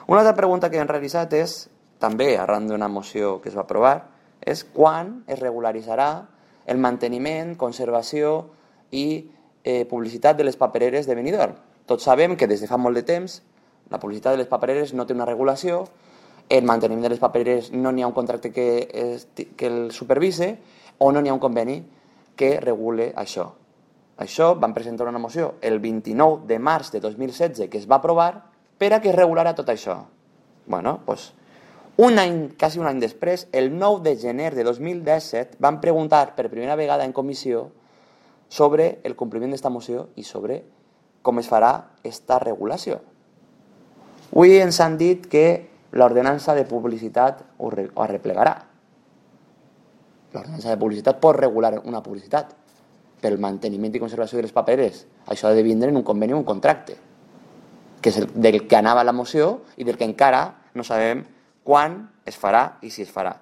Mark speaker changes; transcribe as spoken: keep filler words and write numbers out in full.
Speaker 1: Una altra pregunta que hem realitzat és, també arran d'una moció que es va aprovar, és quan es regularitzarà el manteniment, conservació i eh, publicitat de les papereres de Benidorm. Tots sabem que des de fa molt de temps la publicitat de les papereres no té una regulació, el manteniment de les papereres no n'hi ha un contracte que, es, que el supervise o no n'hi ha un conveni que regule això. Això van presentar una moció el vint-i-nou de març de dos mil setze que es va aprovar per a que es regulara tot això. Bueno, doncs, un any, quasi un any després, el nou de gener de dos mil disset, van preguntar per primera vegada en comissió sobre el compliment d'esta moció i sobre com es farà esta regulació. Avui ens han dit que l'ordenança de publicitat ho arreplegarà. L'ordenança de publicitat pot regular una publicitat pel manteniment i conservació de les papereres. Això ha de vindre en un conveni o un contracte, que és el del que anava la moció i del que encara no sabem quan es farà i si es farà.